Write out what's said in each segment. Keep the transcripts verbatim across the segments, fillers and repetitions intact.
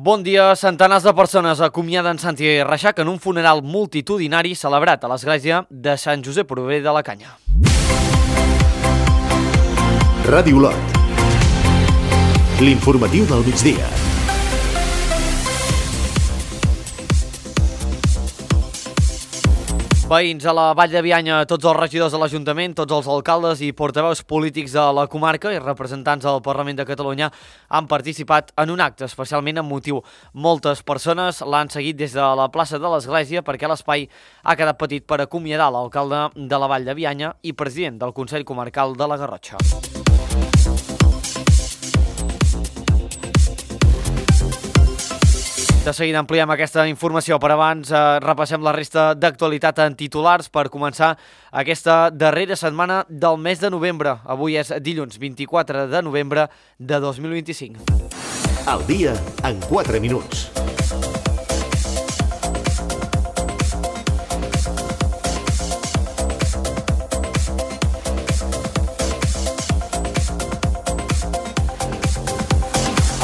Bon dia. Centenars de persones acomiaden Santi Reixac en un funeral multitudinari celebrat a l'església de Sant Josep Obrer de la Canya. Ràdio Lot. L'informatiu del migdia. Veïns a la Vall de Bianya, tots els regidors de l'Ajuntament, tots els alcaldes i portaveus polítics de la comarca i representants del Parlament de Catalunya han participat en un acte especialment emotiu. Moltes persones l'han seguit des de la plaça de l'Església perquè l'espai ha quedat petit per acomiadar l'alcalde de la Vall de Bianya i president del Consell Comarcal de la Garrotxa. De seguida ampliem aquesta informació, però abans eh, repassem la resta d'actualitat en titulars per començar aquesta darrera setmana del mes de novembre. Avui és dilluns vint-i-quatre de novembre de dos mil vint-i-cinc. Al dia en quatre minuts.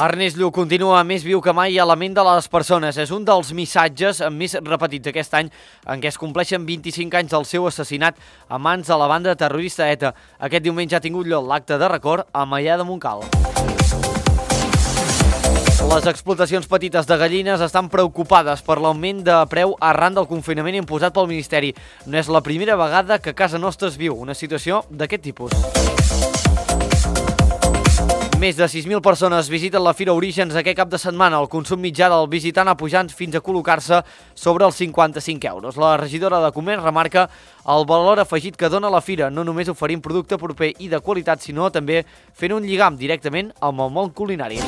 Ernest Lluch continua més viu que mai a la ment de les persones. És un dels missatges més repetits aquest any en què es compleixen vint-i-cinc anys del seu assassinat a mans de la banda terrorista ETA. Aquest diumenge ha tingut lloc l'acte de record a Maià de Montcal. Les explotacions petites de gallines estan preocupades per l'augment de preu arran del confinament imposat pel Ministeri. No és la primera vegada que casa nostra es viu una situació d'aquest tipus. Més de sis mil persones visiten la Fira Orígens aquest cap de setmana. El consum mitjà del visitant ha pujat fins a col·locar-se sobre els cinquanta-cinc euros. La regidora de Comerç remarca el valor afegit que dona la Fira, no només oferint producte proper i de qualitat, sinó també fent un lligam directament amb el món culinari.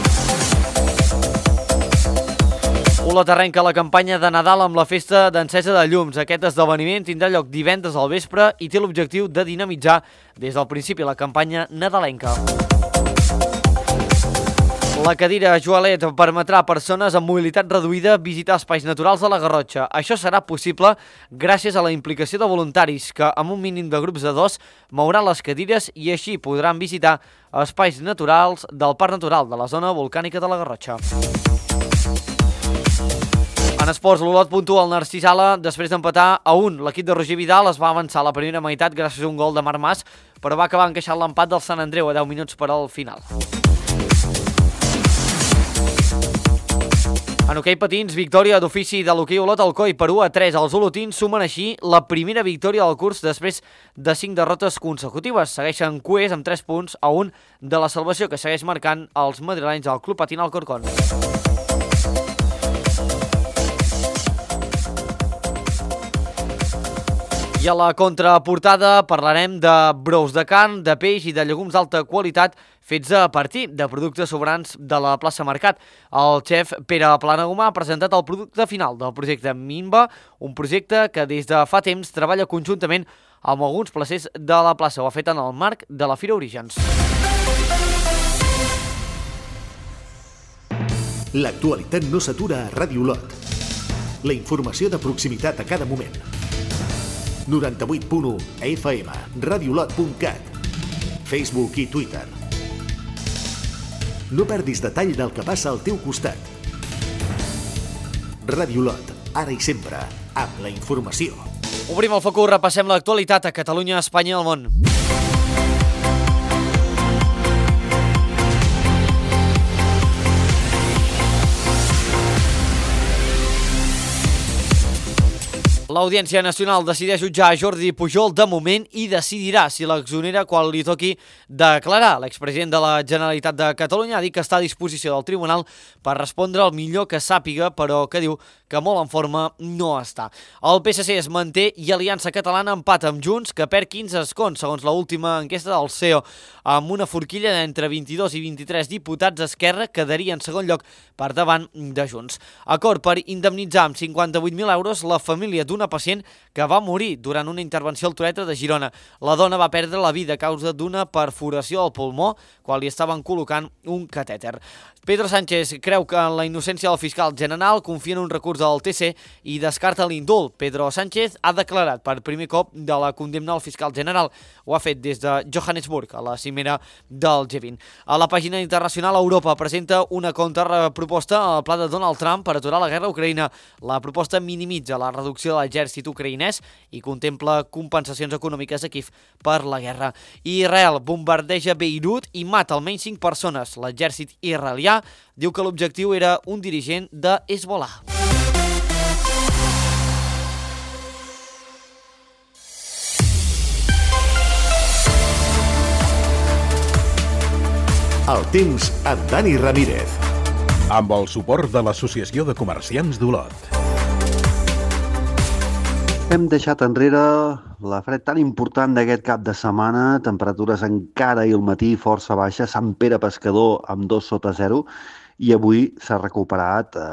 Olot arrenca la campanya de Nadal amb la festa d'encesa de llums. Aquest esdeveniment tindrà lloc divendres al vespre i té l'objectiu de dinamitzar des del principi la campanya nadalenca. La cadira Joalet permetrà a persones amb mobilitat reduïda visitar espais naturals de la Garrotxa. Això serà possible gràcies a la implicació de voluntaris que, amb un mínim de grups de dos, mouran les cadires i així podran visitar espais naturals del Parc Natural de la zona volcànica de la Garrotxa. En esports, l'Olot puntua el Narcís Sala després d'empatar a un. L'equip de Roger Vidal es va avançar a la primera meitat gràcies a un gol de Marc Mas, però va acabar encaixant l'empat del Sant Andreu a deu minuts per al final. En hoquei patins, victòria d'ofici de l'hoquei Olot Alcoi per u a tres. Els olotins sumen així la primera victòria del curs després de cinc derrotes consecutives. Segueixen cuers amb tres punts a un de la salvació que segueix marcant els madrilenys del Club Patín Alcorcón. I a la contraportada parlarem de brous de carn, de peix i de llegums d'alta qualitat fets a partir de productes sobrants de la plaça Mercat. El xef Pere Planagumà ha presentat el producte final del projecte Minva, un projecte que des de fa temps treballa conjuntament amb alguns placers de la plaça. Ho ha fet en el marc de la Fira Orígens. L'actualitat no s'atura a Ràdio Lot. La informació de proximitat a cada moment. noranta-vuit punt u F M, radiolot punt cat, Facebook i Twitter. No perdis detall del que passa al teu costat. Ràdio Lot, ara i sempre, amb la informació. Obrim el focus, repassem l'actualitat a Catalunya, Espanya i el món. L'Audiència Nacional decideix jutjar a Jordi Pujol de moment i decidirà si l'exonera quan li toqui declarar. L'expresident de la Generalitat de Catalunya ha dit que està a disposició del tribunal per respondre el millor que sàpiga, però que diu que molt en forma no està. El P S C es manté i Aliança Catalana empata amb Junts, que perd quinze escons, segons l'última enquesta del C E O. Amb una forquilla d'entre vint-i-dos i vint-i-tres diputats, Esquerra quedaria en segon lloc per davant de Junts. Acord per indemnitzar amb cinquanta-vuit mil euros la família d'una una pacient que va morir durant una intervenció al Toretre de Girona. La dona va perdre la vida a causa d'una perforació al pulmó quan li estaven col·locant un catèter. Pedro Sánchez creu que en la innocència del fiscal general, confia en un recurs del T C i descarta l'indult. Pedro Sánchez ha declarat per primer cop de la condemna al fiscal general. Ho ha fet des de Johannesburg, a la cimera del G vint. A la pàgina internacional, Europa presenta una contraproposta al pla de Donald Trump per aturar la guerra a Ucraïna. La proposta minimitza la reducció de l'exèrcit ucraïnès i contempla compensacions econòmiques a Kiev per la guerra. Israel bombardeja Beirut i mata almenys cinc persones. L'exèrcit israelià diu que l'objectiu era un dirigent de Hezbollah. El temps amb Dani Ramírez. Amb el suport de l'Associació de Comerciants d'Olot. Hem deixat enrere la fred tan important d'aquest cap de setmana, temperatures encara i al matí força baixes, Sant Pere Pescador amb dos sota zero, i avui s'ha recuperat eh,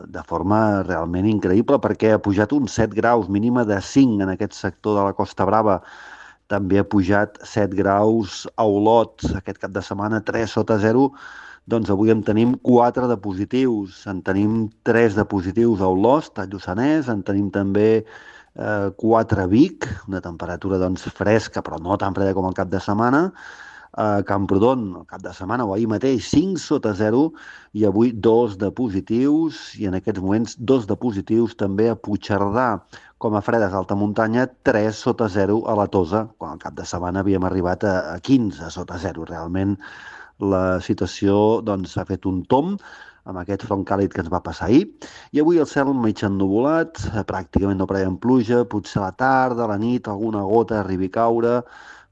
de forma realment increïble perquè ha pujat uns set graus, mínima de cinc en aquest sector de la Costa Brava. També ha pujat set graus a Olot, aquest cap de setmana tres sota zero, doncs avui en tenim quatre de positius. En tenim tres de positius a Olost, a Lluçanès, en tenim també eh, quatre a Vic, una temperatura doncs fresca però no tan freda com el cap de setmana. A Camprodon, el cap de setmana o ahir mateix, cinc sota zero, i avui dos de positius, i en aquests moments dos de positius també a Puigcerdà. Com a fredes d'alta muntanya, tres sota zero a la Tosa, quan al cap de setmana havíem arribat a quinze sota zero. Realment la situació doncs, ha fet un tomb amb aquest front càlid que ens va passar ahir. I avui el cel mig ennuvolat, pràcticament no preveiem pluja, potser a la tarda, a la nit, alguna gota arribi a caure,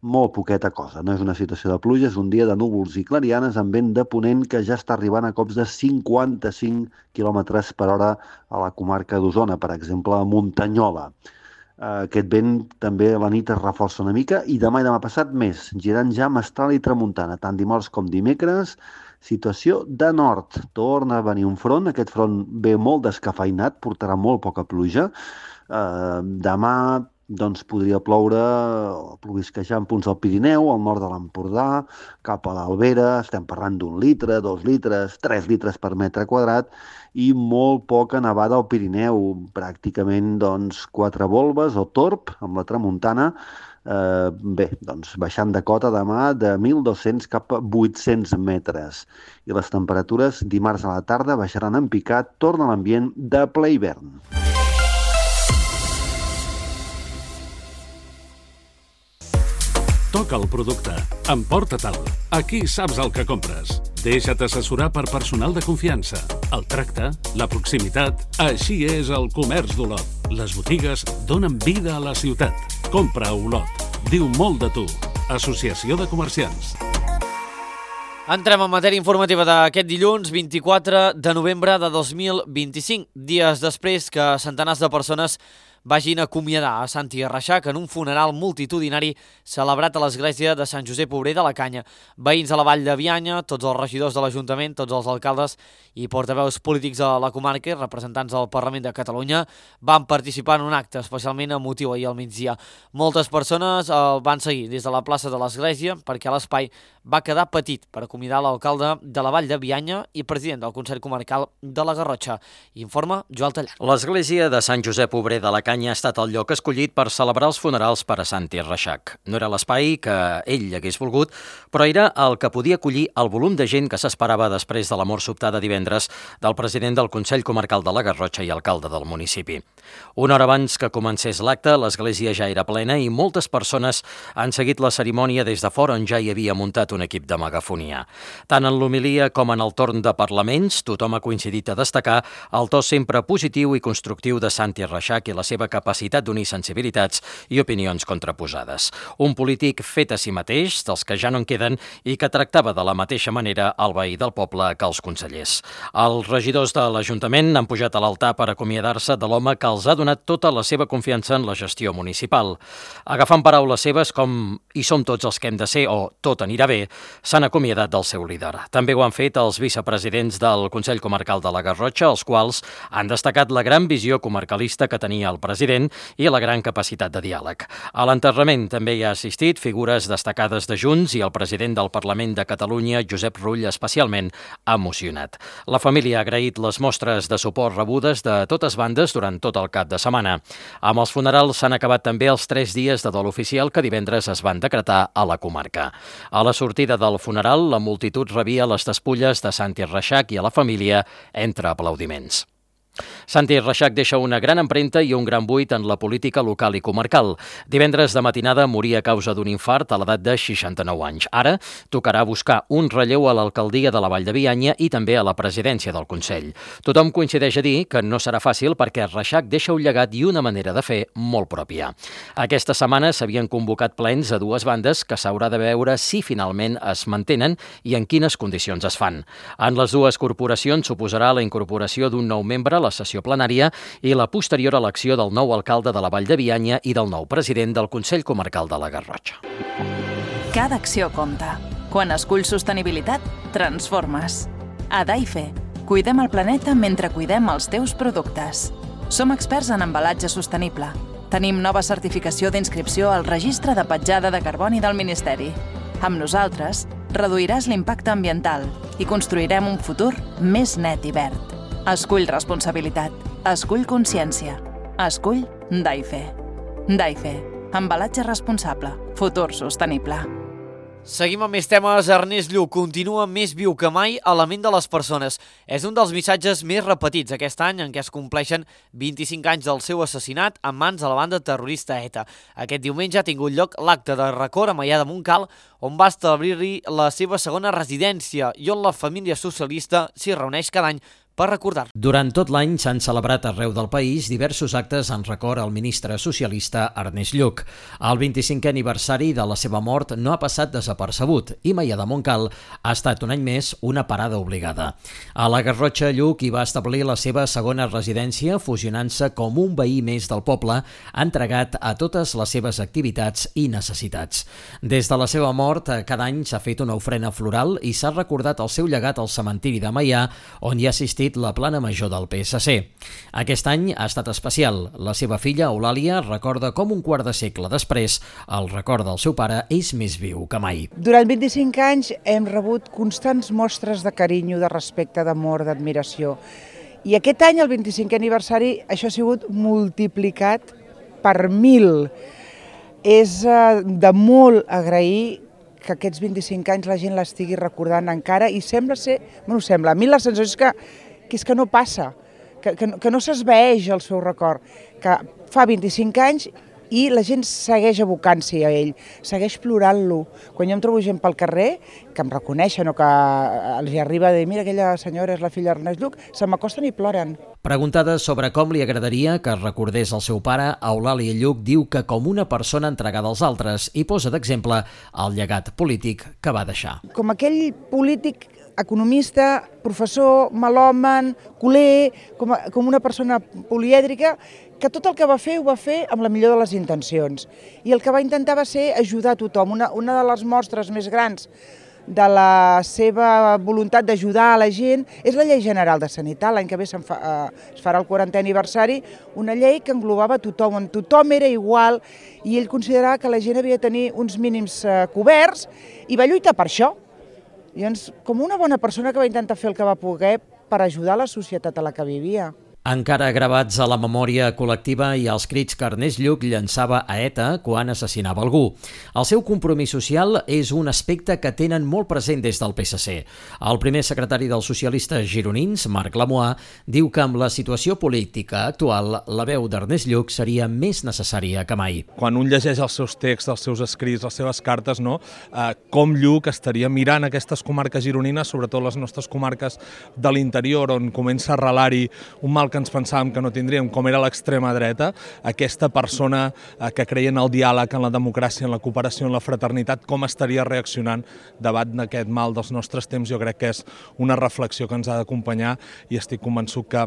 molt poqueta cosa. No és una situació de pluja, és un dia de núvols i clarianes amb vent de ponent que ja està arribant a cops de cinquanta-cinc quilòmetres per hora a la comarca d'Osona, per exemple, a Muntanyola. Aquest vent també a la nit es reforça una mica i demà i demà passat més, girant ja mestral i tramuntana, tant dimarts com dimecres. Situació de nord. Torna a venir un front, aquest front ve molt descafeinat, portarà molt poca pluja. Eh, demà doncs podria ploure o plovisquejar en punts del Pirineu, al nord de l'Empordà, cap a l'Albera, estem parlant d'un litre, dos litres, tres litres per metre quadrat, i molt poca nevada al Pirineu, pràcticament doncs, quatre volves o torb amb la tramuntana. Eh, bé, doncs baixant de cota demà de mil dos-cents cap a vuit-cents metres. I les temperatures dimarts a la tarda baixaran en picat, torna a l'ambient de ple hivern. Toca el producte, emporta-te'l. Aquí saps el que compres. Deixa't assessorar per personal de confiança. El tracte, la proximitat, així és el comerç d'Olot. Les botigues donen vida a la ciutat. Compra a Olot. Diu molt de tu. Associació de Comerciants. Entrem en matèria informativa d'aquest dilluns vint-i-quatre de novembre de dos mil vint-i-cinc, dies després que centenars de persones vagin a acomiadar a Santi Reixac en un funeral multitudinari celebrat a l'església de Sant Josep Obrer de la Canya. Veïns de la Vall de Bianya, tots els regidors de l'Ajuntament, tots els alcaldes i portaveus polítics de la comarca i representants del Parlament de Catalunya van participar en un acte especialment emotiu ahir al migdia. Moltes persones el van seguir des de la plaça de l'església perquè l'espai va quedar petit per acomiadar l'alcalde de la Vall de Bianya i president del Consell Comarcal de la Garrotxa. Informa Joel Tallar. L'església de Sant Josep Obrer de la Canya ha estat el lloc escollit per celebrar els funerals per a Santi Reixac. No era l'espai que ell hagués volgut, però era el que podia acollir el volum de gent que s'esperava després de la mort sobtada divendres del president del Consell Comarcal de la Garrotxa i alcalde del municipi. Una hora abans que comencés l'acte, l'església ja era plena i moltes persones han seguit la cerimònia des de fora on ja hi havia muntat un equip de megafonia. Tant en l'homilia com en el torn de parlaments, tothom ha coincidit a destacar el to sempre positiu i constructiu de Santi Reixac i la seva capacitat d'unir sensibilitats i opinions contraposades. Un polític fet a si mateix, dels que ja no en queden, i que tractava de la mateixa manera el veí del poble que els consellers. Els regidors de l'Ajuntament han pujat a l'altar per acomiadar-se de l'home que els ha donat tota la seva confiança en la gestió municipal. Agafant paraules seves com «hi som tots els que hem de ser» o «tot anirà bé», C s'han acomiadat del seu líder. També ho han fet els vicepresidents del Consell Comarcal de la Garrotxa, els quals han destacat la gran visió comarcalista que tenia el president i la gran capacitat de diàleg. A l'enterrament també hi ha assistit figures destacades de Junts i el president del Parlament de Catalunya, Josep Rull, especialment emocionat. La família ha agraït les mostres de suport rebudes de totes bandes durant tot el cap de setmana. Amb els funerals s'han acabat també els tres dies de dol oficial que divendres es van decretar a la comarca. A la sortida del funeral, la multitud rebia les despulles de Santi Reixac i a la família entre aplaudiments. Santi Reixac deixa una gran empremta i un gran buit en la política local i comarcal. Divendres de matinada moria a causa d'un infart a l'edat de seixanta-nou anys. Ara tocarà buscar un relleu a l'alcaldia de la Vall de Bianya i també a la presidència del Consell. Tothom coincideix a dir que no serà fàcil perquè Reixac deixa un llegat i una manera de fer molt pròpia. Aquesta setmana s'havien convocat plens a dues bandes que s'haurà de veure si finalment es mantenen i en quines condicions es fan. En les dues corporacions suposarà la incorporació d'un nou membre a la sessió plenària i la posterior elecció del nou alcalde de la Vall de Bianya i del nou president del Consell Comarcal de la Garrotxa. Cada acció compta. Quan esculls sostenibilitat, transformes. A Daife, cuidem el planeta mentre cuidem els teus productes. Som experts en embalatge sostenible. Tenim nova certificació d'inscripció al Registre de Petjada de Carboni del Ministeri. Amb nosaltres, reduiràs l'impacte ambiental i construirem un futur més net i verd. Escull responsabilitat. Escull consciència. Escull Daife. Daife. Embalatge responsable. Futur sostenible. Seguim amb més temes. Ernest Lluch continua més viu que mai a la ment de les persones. És un dels missatges més repetits aquest any en què es compleixen vint-i-cinc anys del seu assassinat en mans de la banda terrorista ETA. Aquest diumenge ha tingut lloc l'acte de record a Maià de Montcal, on va establir-hi la seva segona residència i on la família socialista s'hi reuneix cada any per recordar. Durant tot l'any s'han celebrat arreu del país diversos actes en record al ministre socialista Ernest Lluch. El vint-i-cinquè aniversari de la seva mort no ha passat desapercebut i Maià de Montcal ha estat un any més una parada obligada. A la Garrotxa, Lluch hi va establir la seva segona residència, fusionant-se com un veí més del poble, entregat a totes les seves activitats i necessitats. Des de la seva mort, cada any s'ha fet una ofrena floral i s'ha recordat el seu llegat al cementiri de Maià, on hi ha assistit la plana major del P S C. Aquest any ha estat especial. La seva filla, Eulàlia, recorda com un quart de segle després el record del seu pare és més viu que mai. Durant vint-i-cinc anys hem rebut constants mostres de carinyo, de respecte, d'amor, d'admiració. I aquest any, el vint-i-cinquè aniversari, això ha sigut multiplicat per mil. És de molt agrair que aquests vint-i-cinc anys la gent l'estigui recordant encara i sembla ser, bueno, sembla, a mi la sensació és que, que, és que no passa, que, que, que no s'esvaeix el seu record, que fa vint-i-cinc anys i la gent segueix abocant-s'hi a ell, segueix plorant-lo. Quan jo em trobo gent pel carrer, que em reconeixen o que els arriba a dir mira, aquella senyora és la filla d'Ernest Lluch, se m'acosten i ploren. Preguntada sobre com li agradaria que recordés el seu pare, Eulàlia Lluch diu que com una persona entregada als altres i posa d'exemple el llegat polític que va deixar. Com aquell polític economista, professor, melòman, culer, com, a, com una persona polièdrica, que tot el que va fer ho va fer amb la millor de les intencions. I el que va intentar va ser ajudar a tothom. Una, una de les mostres més grans de la seva voluntat d'ajudar a la gent és la Llei General de Sanitat. L'any que ve se'n fa, eh, es farà el quarantè aniversari, una llei que englobava tothom, on tothom era igual i ell considerava que la gent havia de tenir uns mínims eh, coberts i va lluitar per això. Llavors, com una bona persona que va intentar fer el que va poder per ajudar la societat a la que vivia. Encara gravats a la memòria col·lectiva i als crits que Ernest Lluch llançava a ETA quan assassinava algú. El seu compromís social és un aspecte que tenen molt present des del P S C. El primer secretari dels socialistes gironins, Marc Lamoà, diu que amb la situació política actual la veu d'Ernest Lluch seria més necessària que mai. Quan un llegeix els seus texts, els seus escrits, les seves cartes, no? eh, com Lluch estaria mirant aquestes comarques gironines, sobretot les nostres comarques de l'interior, on comença a arrelar-hi un mal que ens pensàvem que no tindríem, com era l'extrema dreta, aquesta persona eh, que creia en el diàleg, en la democràcia, en la cooperació, en la fraternitat, com estaria reaccionant davant d'aquest mal dels nostres temps. Jo crec que és una reflexió que ens ha d'acompanyar i estic convençut que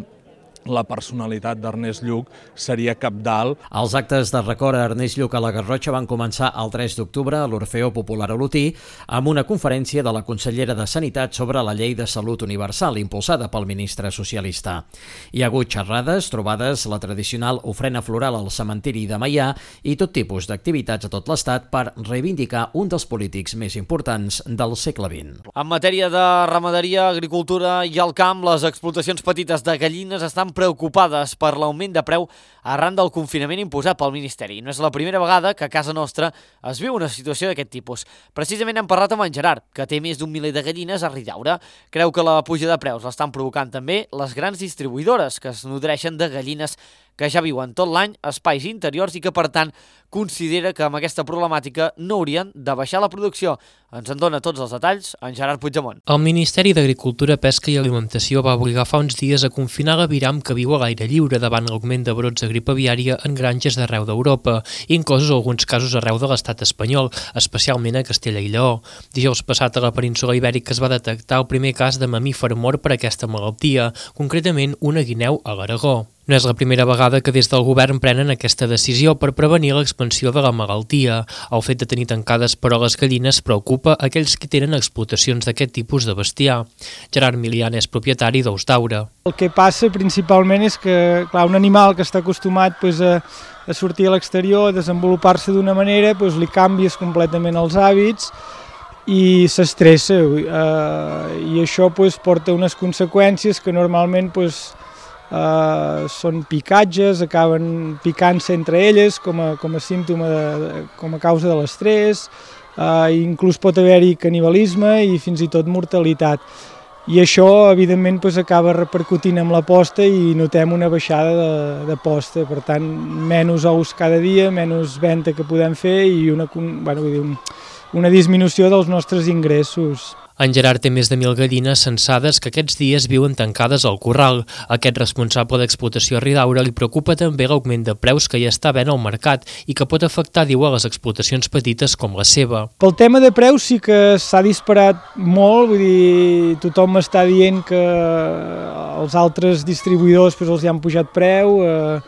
la personalitat d'Ernest Lluch seria cabdal. Els actes de record a Ernest Lluch a la Garrotxa van començar el tres d'octubre a l'Orfeó Popular Olotí amb una conferència de la consellera de Sanitat sobre la llei de salut universal impulsada pel ministre socialista. Hi ha hagut xerrades, trobades, la tradicional ofrena floral al cementiri de Meià i tot tipus d'activitats a tot l'estat per reivindicar un dels polítics més importants del segle vint. En matèria de ramaderia, agricultura i el camp, les explotacions petites de gallines estan preocupades per l'augment de preu arran del confinament imposat pel Ministeri. No és la primera vegada que a casa nostra es viu una situació d'aquest tipus. Precisament hem parlat amb en Gerard, que té més d'un miler de gallines a Ridaura. Creu que la puja de preus l'estan provocant també les grans distribuïdores que es nodreixen de gallines que ja viuen tot l'any a espais interiors i que, per tant, considera que amb aquesta problemàtica no haurien de baixar la producció. Ens en dona tots els detalls en Gerard Puigdemont. El Ministeri d'Agricultura, Pesca i Alimentació va obligar fa uns dies a confinar l'aviram que viu a l'aire lliure davant l'augment de brots de grip aviària en granges d'arreu d'Europa, inclosos alguns casos arreu de l'estat espanyol, especialment a Castella i Lleó. Dijous passat a la península Ibèrica es va detectar el primer cas de mamífer mort per aquesta malaltia, concretament una guineu a l'Aragó. No és la primera vegada que des del govern prenen aquesta decisió per prevenir l'expansió de la malaltia. El fet de tenir tancades però les gallines preocupa aquells que tenen explotacions d'aquest tipus de bestiar. Gerard Milian és propietari d'Ous d'Aura. El que passa principalment és que, clar, un animal que està acostumat pues, a, a sortir a l'exterior, a desenvolupar-se d'una manera, pues, li canvies completament els hàbits i s'estressa. Eh, I això pues, porta unes conseqüències que normalment pues, Uh, són picatges, acaben picant-se entre elles com a, com a símptoma, de, de, com a causa de l'estrès, uh, inclús pot haver-hi canibalisme i fins i tot mortalitat. I això, evidentment, pues, acaba repercutint amb la posta i notem una baixada de, de posta. Per tant, menys ous cada dia, menys venda que podem fer i una, bueno, vull dir, una disminució dels nostres ingressos. En Gerard té més de mil gallines censades que aquests dies viuen tancades al corral. Aquest responsable d'explotació a Ridaura li preocupa també l'augment de preus que hi està havent al mercat i que pot afectar, diu, a les explotacions petites com la seva. Pel tema de preus sí que s'ha disparat molt, vull dir, tothom m'està dient que els altres distribuïdors pues, els hi han pujat preu, eh,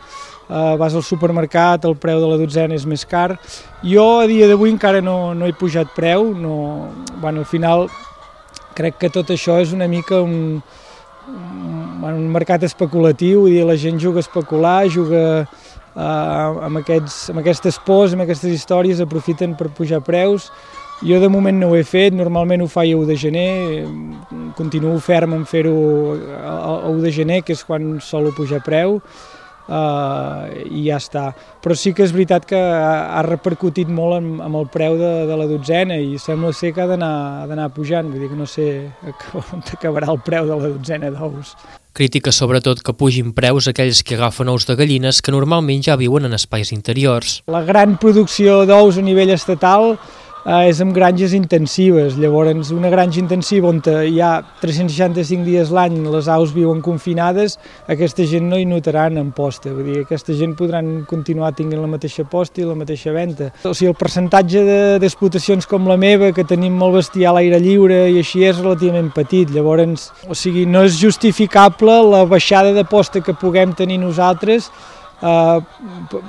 eh, vas al supermercat, el preu de la dotzena és més car. Jo a dia d'avui encara no, no he pujat preu, no, bueno, al final crec que tot això és una mica un, un, un mercat especulatiu, vull dir, la gent juga a especular, juga uh, amb, aquests, amb aquestes pors, amb aquestes històries, aprofiten per pujar preus. Jo de moment no ho he fet, normalment ho faig a u de gener, continuo ferm en fer-ho a u de gener, que és quan solo pujar preu. Uh, i ja està. Però sí que és veritat que ha, ha repercutit molt amb, amb el preu de, de la dotzena i sembla ser que ha d'anar pujant, vull dir que no sé on acabarà el preu de la dotzena d'ous. Crítica sobretot que pugin preus aquells que agafen ous de gallines que normalment ja viuen en espais interiors. La gran producció d'ous a nivell estatal eh, és amb granges intensives. Llavors, una granja intensiva on hi ha tres-cents seixanta-cinc dies l'any les aus viuen confinades, aquesta gent no hi notaran en posta. Vull dir, aquesta gent podran continuar tinguent la mateixa posta i la mateixa venda. O sigui, el percentatge d'explotacions de, com la meva, que tenim molt bestiar a l'aire lliure i així, és relativament petit. Llavors, o sigui, no és justificable la baixada de posta que puguem tenir nosaltres Uh,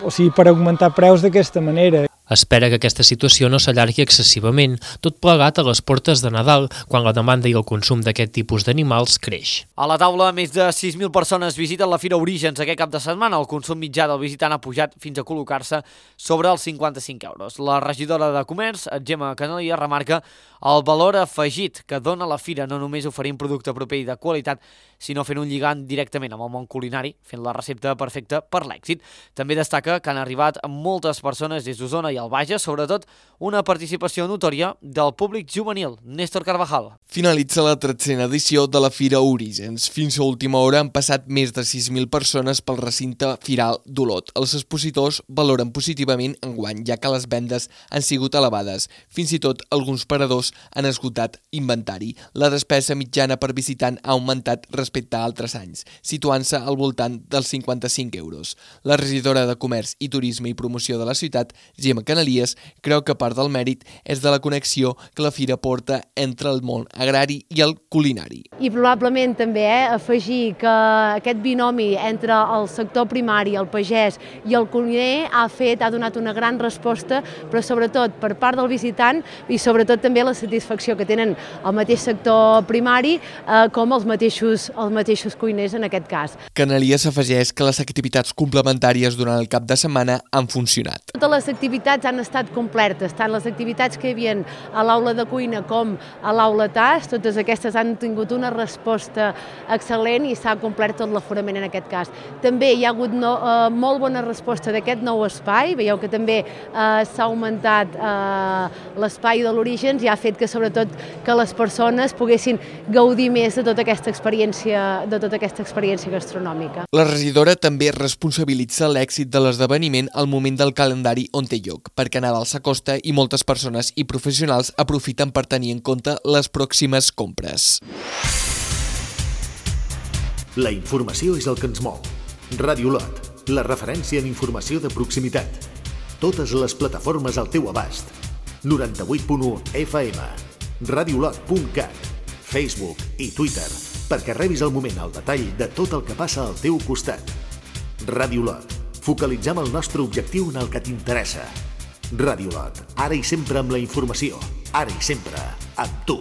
o sigui, per augmentar preus d'aquesta manera. Espera que aquesta situació no s'allargui excessivament, tot plegat a les portes de Nadal, quan la demanda i el consum d'aquest tipus d'animals creix. A la taula, més de sis mil persones visiten la Fira Orígens aquest cap de setmana. El consum mitjà del visitant ha pujat fins a col·locar-se sobre els cinquanta-cinc euros. La regidora de Comerç, Gemma Canalia, remarca el valor afegit que dona la fira, no només oferint producte proper i de qualitat, sinó fent un lligam directament amb el món culinari, fent la recepta perfecta per l'èxit. També destaca que han arribat moltes persones des d'Osona i el Bages, sobretot una participació notòria del públic juvenil. Néstor Carvajal. Finalitza la tretzena edició de la Fira Orígens. Fins a última hora han passat més de sis mil persones pel recinte firal d'Olot. Els expositors valoren positivament enguany, ja que les vendes han sigut elevades. Fins i tot alguns paradors han esgotat inventari. La despesa mitjana per visitant ha augmentat respecte a altres anys, situant-se al voltant dels cinquanta-cinc euros. La regidora de Comerç i Turisme i Promoció de la ciutat, Gemma Canalies creu que part del mèrit és de la connexió que la fira porta entre el món agrari i el culinari. I probablement també eh, afegir que aquest binomi entre el sector primari, el pagès i el cuiner ha fet, ha donat una gran resposta, però sobretot per part del visitant i sobretot també la satisfacció que tenen el mateix sector primari eh, com els mateixos, els mateixos cuiners en aquest cas. Canalies afegeix que les activitats complementàries durant el cap de setmana han funcionat. Totes les activitats han estat completes, tant les activitats que hi havia a l'aula de cuina com a l'aula T A S, totes aquestes han tingut una resposta excel·lent i s'ha complert tot l'aforament en aquest cas. També hi ha hagut no, eh, molt bona resposta d'aquest nou espai, veieu que també eh, s'ha augmentat eh, l'espai de l'Orígens i ha fet que sobretot que les persones poguessin gaudir més de tota aquesta experiència, de tota aquesta experiència gastronòmica. La regidora també responsabilitza l'èxit de l'esdeveniment al moment del calendari on té lloc, perquè Nadal s'acosta i moltes persones i professionals aprofiten per tenir en compte les pròximes compres. La informació és el que ens mou. Ràdio Lot, la referència en informació de proximitat. Totes les plataformes al teu abast. noranta-vuit punt u F M, radiolot punt cat, Facebook i Twitter, perquè rebis al moment el detall de tot el que passa al teu costat. Ràdio Lot, focalitzem el nostre objectiu en el que t'interessa. Ràdio Lot, ara i sempre amb la informació, ara i sempre amb tu.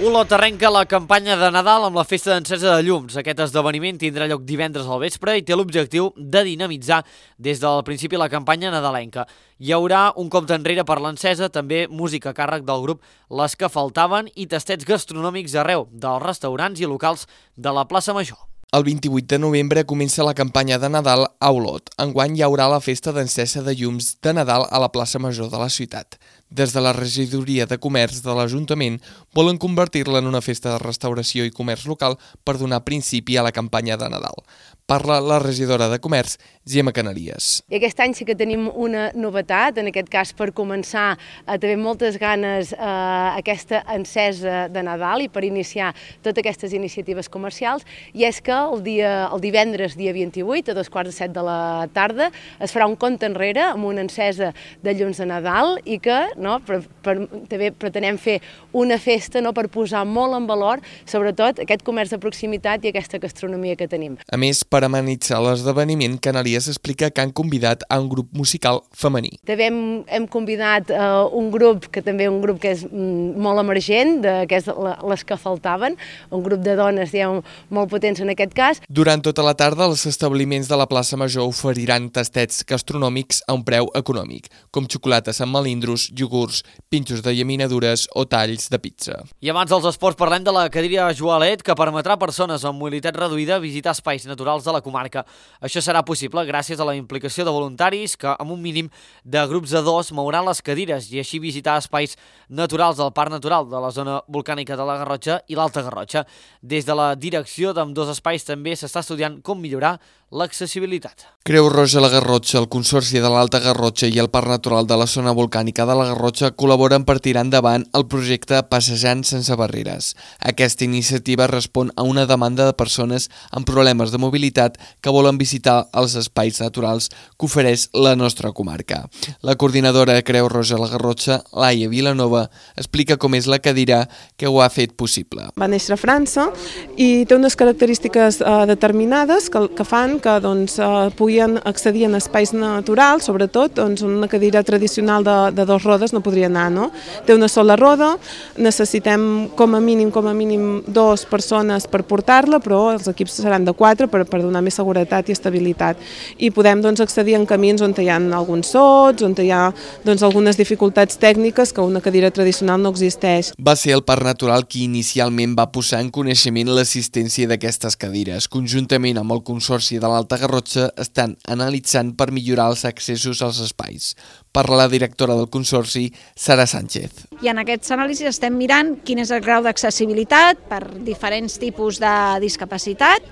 Olot arrenca la campanya de Nadal amb la festa d'encesa de llums. Aquest esdeveniment tindrà lloc divendres al vespre i té l'objectiu de dinamitzar des del principi la campanya nadalenca. Hi haurà un compte enrere per l'encesa, també música a càrrec del grup Les que Faltaven i tastets gastronòmics arreu dels restaurants i locals de la plaça Major. El vint-i-vuit de novembre comença la campanya de Nadal a Olot. Enguany hi haurà la festa d'encesa de llums de Nadal a la plaça Major de la ciutat. Des de la regidoria de comerç de l'Ajuntament volen convertir-la en una festa de restauració i comerç local per donar principi a la campanya de Nadal. Parla la regidora de Comerç, Gemma Canalies. I aquest any sí que tenim una novetat, en aquest cas per començar a tenir moltes ganes eh, aquesta encesa de Nadal i per iniciar totes aquestes iniciatives comercials, i és que el, dia, el divendres, dia vint-i-vuit, a dos quarts de set de la tarda, es farà un compte enrere amb una encesa de llums de Nadal i que no, per, per, també pretenem fer una festa no, per posar molt en valor, sobretot, aquest comerç de proximitat i aquesta gastronomia que tenim. A més, per amenitzar l'esdeveniment, Canalies explica que han convidat a un grup musical femení. També hem, hem convidat uh, un grup, que també un grup que és mm, molt emergent, de, que és la, Les que Faltaven, un grup de dones diguem, molt potents en aquest cas. Durant tota la tarda, els establiments de la plaça Major oferiran tastets gastronòmics a un preu econòmic, com xocolates amb melindros, iogurts, pinxos de llaminadures o talls de pizza. I abans dels esports parlem de la cadira Joalet, que permetrà a persones amb mobilitat reduïda visitar espais naturals de la comarca. Això serà possible gràcies a la implicació de voluntaris que, amb un mínim de grups de dos, mouran les cadires i així visitar espais naturals del Parc Natural de la zona volcànica de la Garrotxa i l'Alta Garrotxa. Des de la direcció d'ambdós espais també s'està estudiant com millorar l'accessibilitat. Creu Roja la Garrotxa, el Consorci de l'Alta Garrotxa i el Parc Natural de la zona volcànica de la Garrotxa col·laboren per tirar endavant el projecte Passejant sense barreres. Aquesta iniciativa respon a una demanda de persones amb problemes de mobilitat que volen visitar els espais naturals que ofereix la nostra comarca. La coordinadora de Creu Roja la Garrotxa, Laia Vilanova, explica com és la cadira que ho ha fet possible. Va néixer a França i té unes característiques eh, determinades que, que fan que doncs, eh, puguin accedir en espais naturals, sobretot doncs, una cadira tradicional de, de dos rodes no podria anar, no? Té una sola roda, necessitem com a mínim com a mínim dues persones per portar-la, però els equips seran de quatre per, per donar més seguretat i estabilitat. I podem doncs, accedir en camins on hi ha alguns sots, on hi ha doncs, algunes dificultats tècniques que una cadira tradicional no existeix. Va ser el Parc Natural qui inicialment va posar en coneixement l'assistència d'aquestes cadires. Conjuntament amb el Consorci de l'Alta Garrotxa estan analitzant per millorar els accessos als espais. Parla la directora del Consorci, Sara Sánchez. I en aquests anàlisis estem mirant quin és el grau d'accessibilitat per diferents tipus de discapacitat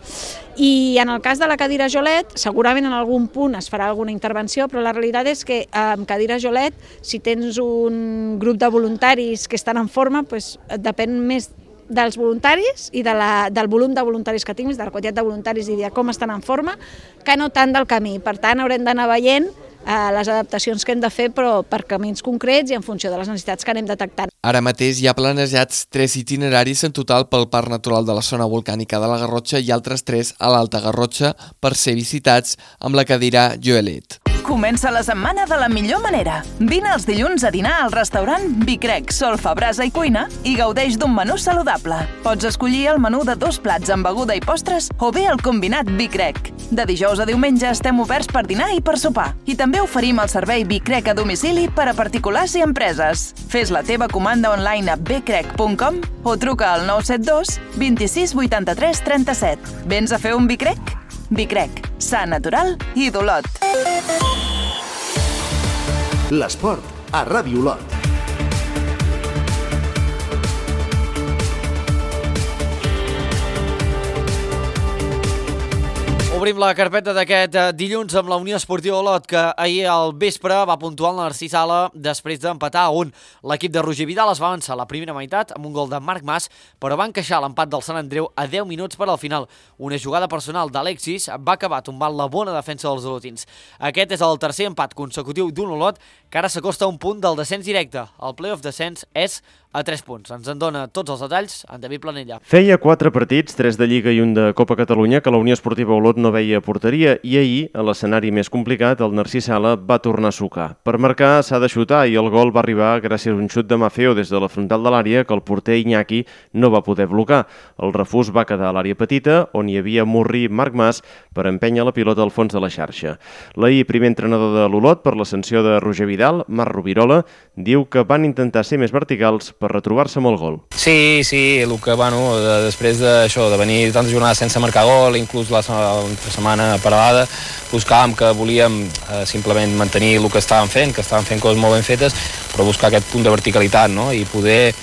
i en el cas de la cadira Jolet segurament en algun punt es farà alguna intervenció, però la realitat és que amb cadira Jolet, si tens un grup de voluntaris que estan en forma, doncs depèn més dels voluntaris i de la, del volum de voluntaris que tinguis, de la quantitat de voluntaris i de com estan en forma, que no tant del camí. Per tant, haurem d'anar veient eh, les adaptacions que hem de fer, però per camins concrets i en funció de les necessitats que anem detectant. Ara mateix hi ha planejats tres itineraris en total pel Parc Natural de la Zona Volcànica de la Garrotxa i altres tres a l'Alta Garrotxa per ser visitats amb la cadira Joelet. Comença la setmana de la millor manera. Vine els dilluns a dinar al restaurant Bicrec, Solfa, Brasa i Cuina i gaudeix d'un menú saludable. Pots escollir el menú de dos plats amb beguda i postres o bé el combinat Bicrec. De dijous a diumenge estem oberts per dinar i per sopar. I també oferim el servei Bicrec a domicili per a particulars i empreses. Fes la teva comanda online a bcrec punt com o truca al nou set dos vint-i-sis vuitanta-tres trenta-set. Vens a fer un Bicrec? Bicrec, sa, natural i d'Olot. L'esport a Ràdio Olot. Obrim la carpeta d'aquest dilluns amb la Unió Esportiva Olot, que ahir al vespre va puntuar el Narcís Sala després d'empatar a un. L'equip de Roger Vidal es va avançar la primera meitat amb un gol de Marc Mas, però va encaixar l'empat del Sant Andreu a deu minuts per al final. Una jugada personal d'Alexis va acabar tombant la bona defensa dels olotins. Aquest és el tercer empat consecutiu d'un Olot que ara s'acosta a un punt del descens directe. El play-off descens és a tres punts. Ens en dona tots els detalls en David Planella. Feia quatre partits, tres de Lliga i un de Copa Catalunya, que la Unió Esportiva Olot no veia porteria i ahir, a l'escenari més complicat, el Narcís Sala va tornar a sucar. Per marcar s'ha de xutar i el gol va arribar gràcies a un xut de Mafeo des de la frontal de l'àrea que el porter Iñaki no va poder blocar. El refús va quedar a l'àrea petita, on hi havia Murri Marc Mas per empènyer la pilota al fons de la xarxa. L'ahir primer entrenador de l'Olot per l'ascensió de Roger Vidal, Marc Rovirola, diu que van intentar ser més verticals per retrobar-se amb el gol. Sí, sí, el que, bueno, de, després d'això, de venir tantes jornades sense marcar gol, inclús la setmana paral·lada, buscàvem que volíem eh, simplement mantenir el que estàvem fent, que estàvem fent coses molt ben fetes, però buscar aquest punt de verticalitat, no?, i poder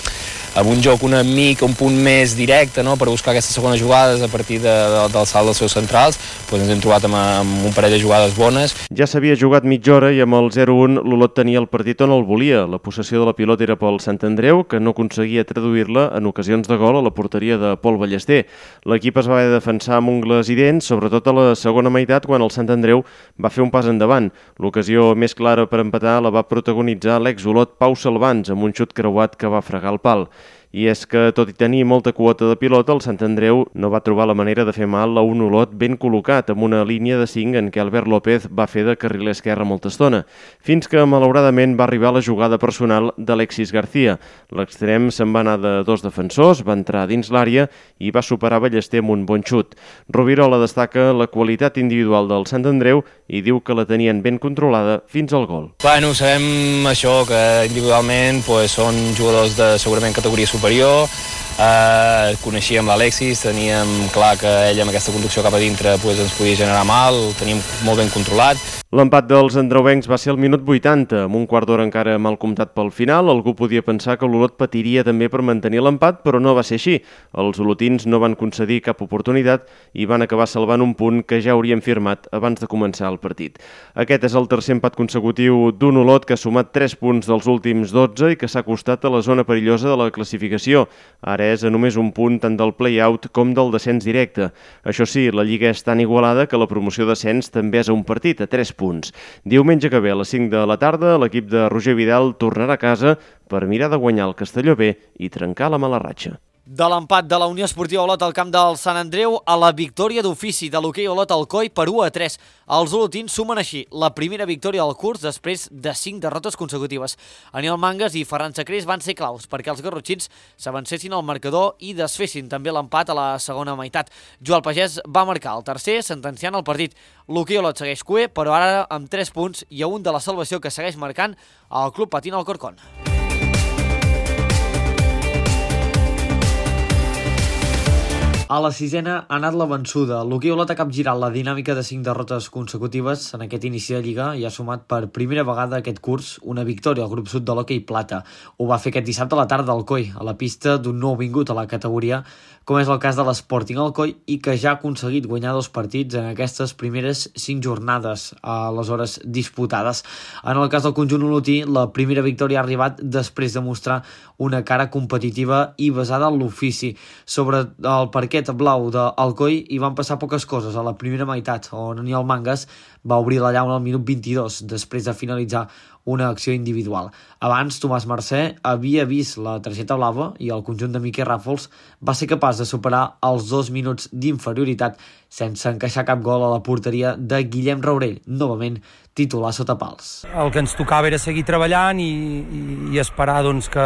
amb un joc una mica, un punt més directe, no?, per buscar aquestes segones jugades a partir de, de, del salt dels seus centrals, doncs ens hem trobat amb, amb un parell de jugades bones. Ja s'havia jugat mitja hora i amb el zero un l'Olot tenia el partit on el volia. La possessió de la pilota era pel Sant Andreu, que no aconseguia traduir-la en ocasions de gol a la porteria de Pol Ballester. L'equip es va haver de defensar amb ungles i dents, sobretot a la segona meitat, quan el Sant Andreu va fer un pas endavant. L'ocasió més clara per empatar la va protagonitzar l'ex-Olot Pau Salvans, amb un xut creuat que va fregar el pal. I és que, tot i tenir molta quota de pilota, el Sant Andreu no va trobar la manera de fer mal a un Olot ben col·locat, amb una línia de cinc en què Albert López va fer de carriler esquerre molta estona, fins que, malauradament, va arribar la jugada personal d'Alexis García. L'extrem se'n va anar de dos defensors, va entrar dins l'àrea i va superar Ballester amb un bon xut. Rovirola destaca la qualitat individual del Sant Andreu i diu que la tenien ben controlada fins al gol. Bueno, sabem això, que individualment pues, són jugadors de segurament categoria superior, superior, eh, coneixíem l'Alexis, teníem clar que ell amb aquesta conducció cap a dintre pues, ens podia generar mal, el teníem molt ben controlat. L'empat dels andreuencs va ser al minut vuitanta, amb un quart d'hora encara mal comptat pel final. Algú podia pensar que l'Olot patiria també per mantenir l'empat, però no va ser així. Els olotins no van concedir cap oportunitat i van acabar salvant un punt que ja haurien firmat abans de començar el partit. Aquest és el tercer empat consecutiu d'un Olot que ha sumat tres punts dels últims dotze i que s'ha acostat a la zona perillosa de la classificació. Ara és a només un punt tant del play-out com del descens directe. Això sí, la Lliga és tan igualada que la promoció d'ascens també és a un partit, a tres punts. Diumenge que ve a les cinc de la tarda, l'equip de Roger Vidal tornarà a casa per mirar de guanyar el Castelló B i trencar la mala ratxa. De l'empat de la Unió Esportiva Olot al camp del Sant Andreu a la victòria d'ofici de l'hoquei Olot Alcoi per u a tres. Els olotins sumen així la primera victòria del curs després de cinc derrotes consecutives. Aniol Mangas i Ferran Sacrés van ser claus perquè els garrotxins s'avancessin al marcador i desfessin també l'empat a la segona meitat. Joel Pagès va marcar el tercer, sentenciant el partit. L'hoquei Olot segueix cué, però ara amb tres punts i a un de la salvació que segueix marcant el Club Patín Alcorcón. A la sisena ha anat la vençuda. L'hoquei Olot ha capgirat la dinàmica de cinc derrotes consecutives en aquest inici de Lliga i ha sumat per primera vegada aquest curs una victòria al grup sud de l'hoquei plata. Ho va fer aquest dissabte a la tarda al Coi, a la pista d'un nou vingut a la categoria, com és el cas de l'Sporting Alcoi, i que ja ha aconseguit guanyar dos partits en aquestes primeres cinc jornades a les hores disputades. En el cas del conjunt olotí, la primera victòria ha arribat després de mostrar una cara competitiva i basada en l'ofici. Sobre el perquè aquest blau d'Alcoi hi van passar poques coses a la primera meitat, on Aniol Mangas va obrir la llauna al minut vint-i-dos, després de finalitzar una acció individual. Abans, Tomàs Mercè havia vist la targeta blava i el conjunt de Miquel Ràfols va ser capaç de superar els dos minuts d'inferioritat sense encaixar cap gol a la porteria de Guillem Raurell, novament titular sota pals. El que ens tocava era seguir treballant i, i, i esperar doncs, que,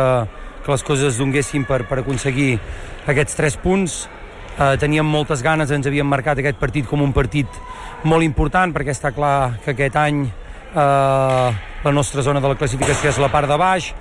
que les coses es donguessin per, per aconseguir aquests tres punts. Eh, teníem moltes ganes, ens havíem marcat aquest partit com un partit molt important, perquè està clar que aquest any eh, la nostra zona de la classificació és la part de baix.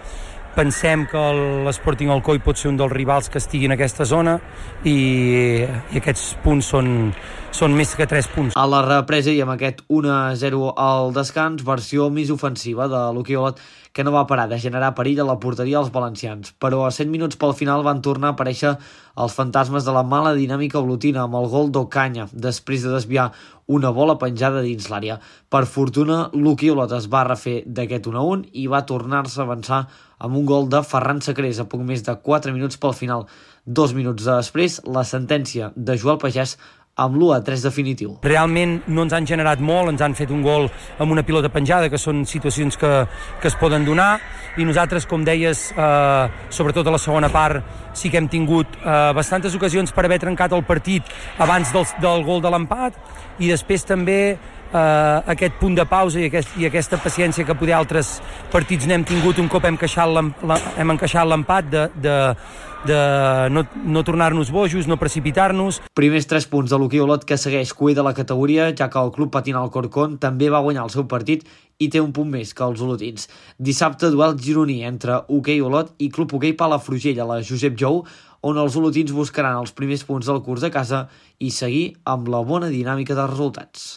Pensem que l'Sporting Alcoi pot ser un dels rivals que estigui en aquesta zona i, i aquests punts són, són més que tres punts. A la represa i amb aquest u a zero al descans, versió més ofensiva de Luqui Olot, que no va parar de generar perill a la porteria als valencians. Però a set minuts pel final van tornar a aparèixer els fantasmes de la mala dinàmica olotina amb el gol d'Ocaña, després de desviar una bola penjada dins l'àrea. Per fortuna, Luqui Olot es va refer d'aquest u a un i va tornar-se a avançar amb un gol de Ferran Sacrés a poc més de quatre minuts pel final. Dos minuts després, la sentència de Joel Pagès amb l'u a tres definitiu. Realment no ens han generat molt, ens han fet un gol amb una pilota penjada, que són situacions que, que es poden donar, i nosaltres, com deies, eh, sobretot a la segona part, sí que hem tingut eh, bastantes ocasions per haver trencat el partit abans del, del gol de l'empat, i després també eh, aquest punt de pausa i, aquest, i aquesta paciència que poder altres partits n'hem tingut un cop hem encaixat l'empat de, de, de no, no tornar-nos bojos, no precipitar-nos. Primers tres punts de Luqui Olot, que segueix cuer de la categoria, ja que el club patina al Corcón també va guanyar el seu partit i té un punt més que els olotins. Dissabte, duel gironí entre Hoquei Olot i Club Hoquei Palafrugell a la Josep Jou, on els olotins buscaran els primers punts del curs a casa i seguir amb la bona dinàmica de resultats.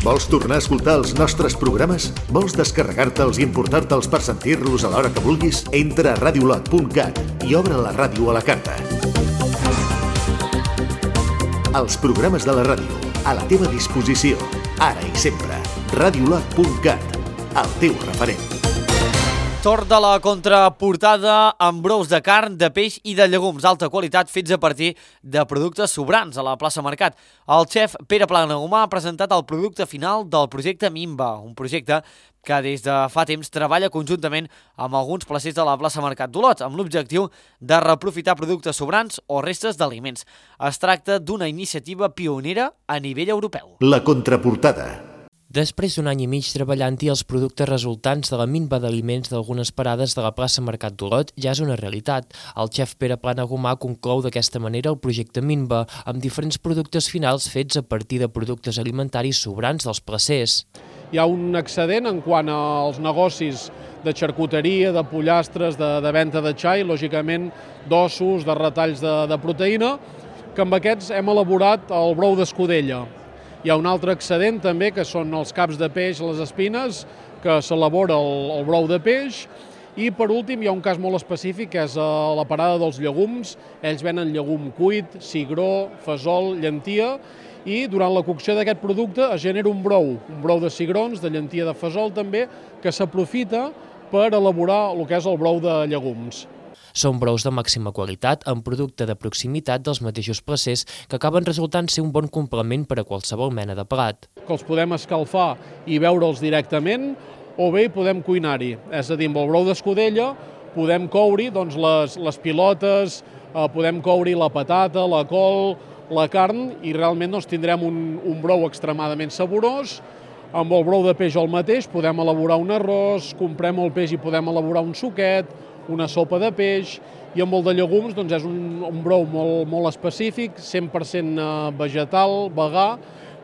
Vols tornar a escoltar els nostres programes? Vols descarregar-te'ls i importar-te'ls per sentir-los a l'hora que vulguis? Entra a radiolot punt cat i obre la ràdio a la carta. Els programes de la ràdio, a la teva disposició, ara i sempre. radiolot punt cat, el teu referent. Torn de la contraportada amb brous de carn, de peix i de llegums d'alta qualitat fets a partir de productes sobrants a la plaça Mercat. El xef Pere Planagumà ha presentat el producte final del projecte Mimba, un projecte que des de fa temps treballa conjuntament amb alguns placers de la plaça Mercat d'Olot, amb l'objectiu de reaprofitar productes sobrants o restes d'aliments. Es tracta d'una iniciativa pionera a nivell europeu. La contraportada. Després d'un any i mig treballant-hi, els productes resultants de la minva d'aliments d'algunes parades de la plaça Mercat d'Olot ja és una realitat. El xef Pere Planagumà conclou d'aquesta manera el projecte Minva, amb diferents productes finals fets a partir de productes alimentaris sobrants dels placers. Hi ha un excedent en quant als negocis de xarcuteria, de pollastres, de, de venda de xai, lògicament d'ossos, de retalls de, de proteïna, que amb aquests hem elaborat el brou d'escudella. Hi ha un altre excedent també, que són els caps de peix, les espines, que s'elabora el, el brou de peix. I per últim hi ha un cas molt específic, que és a la parada dels llegums. Ells venen llegum cuit, cigró, fesol, llentia, i durant la cocció d'aquest producte es genera un brou, un brou de cigrons, de llentia, de fesol també, que s'aprofita per elaborar el que és el brou de llegums. Són brous de màxima qualitat, amb producte de proximitat dels mateixos placers, que acaben resultant ser un bon complement per a qualsevol mena de plat. Que els podem escalfar i beure'ls directament, o bé podem cuinar-hi. És a dir, amb el brou d'escudella podem coure doncs, les, les pilotes, eh, podem coure la patata, la col, la carn, i realment doncs, tindrem un, un brou extremadament saborós. Amb el brou de peix el mateix, podem elaborar un arròs, comprem el peix i podem elaborar un suquet, una sopa de peix, i amb el de llegums doncs és un, un brou molt, molt específic, cent per cent vegetal, vegà.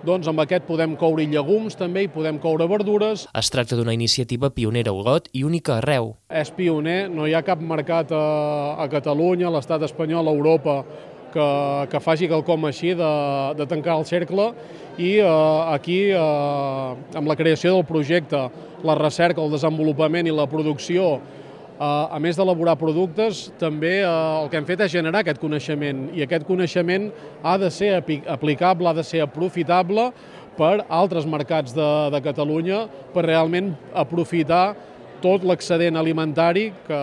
Doncs amb aquest podem coure llegums també i podem coure verdures. Es tracta d'una iniciativa pionera a Olot i única arreu. És pioner, no hi ha cap mercat a, a Catalunya, a l'estat espanyol, a Europa, que, que faci quelcom així de, de tancar el cercle, i eh, aquí, eh, amb la creació del projecte, la recerca, el desenvolupament i la producció, a més d'elaborar productes, també el que hem fet és generar aquest coneixement, i aquest coneixement ha de ser aplicable, ha de ser aprofitable per altres mercats de, de Catalunya, per realment aprofitar tot l'excedent alimentari que,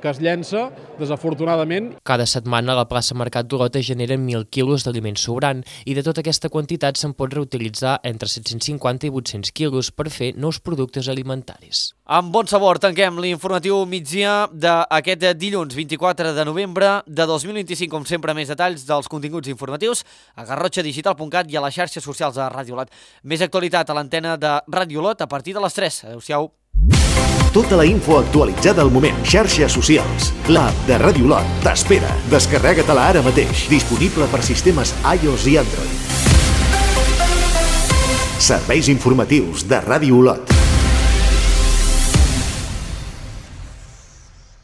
que es llença, desafortunadament. Cada setmana la plaça Mercat d'Olot es generen mil quilos d'aliment sobrant i de tota aquesta quantitat se'n pot reutilitzar entre set-cents cinquanta i vuit-cents quilos per fer nous productes alimentaris. Amb bon sabor tanquem l'informatiu migdia d'aquest dilluns vint-i-quatre de novembre de dos mil vint-i-cinc. Com sempre, més detalls dels continguts informatius a garrotxa digital punt cat i a les xarxes socials de Ràdio Olot. Més actualitat a l'antena de Ràdio Olot a partir de les tres. Adéu-siau. Tota la info actualitzada al moment. Xarxes socials. L'app de Ràdio Olot t'espera. Descarrega-te-la ara mateix. Disponible per sistemes iOS i Android. Serveis informatius de Ràdio Olot.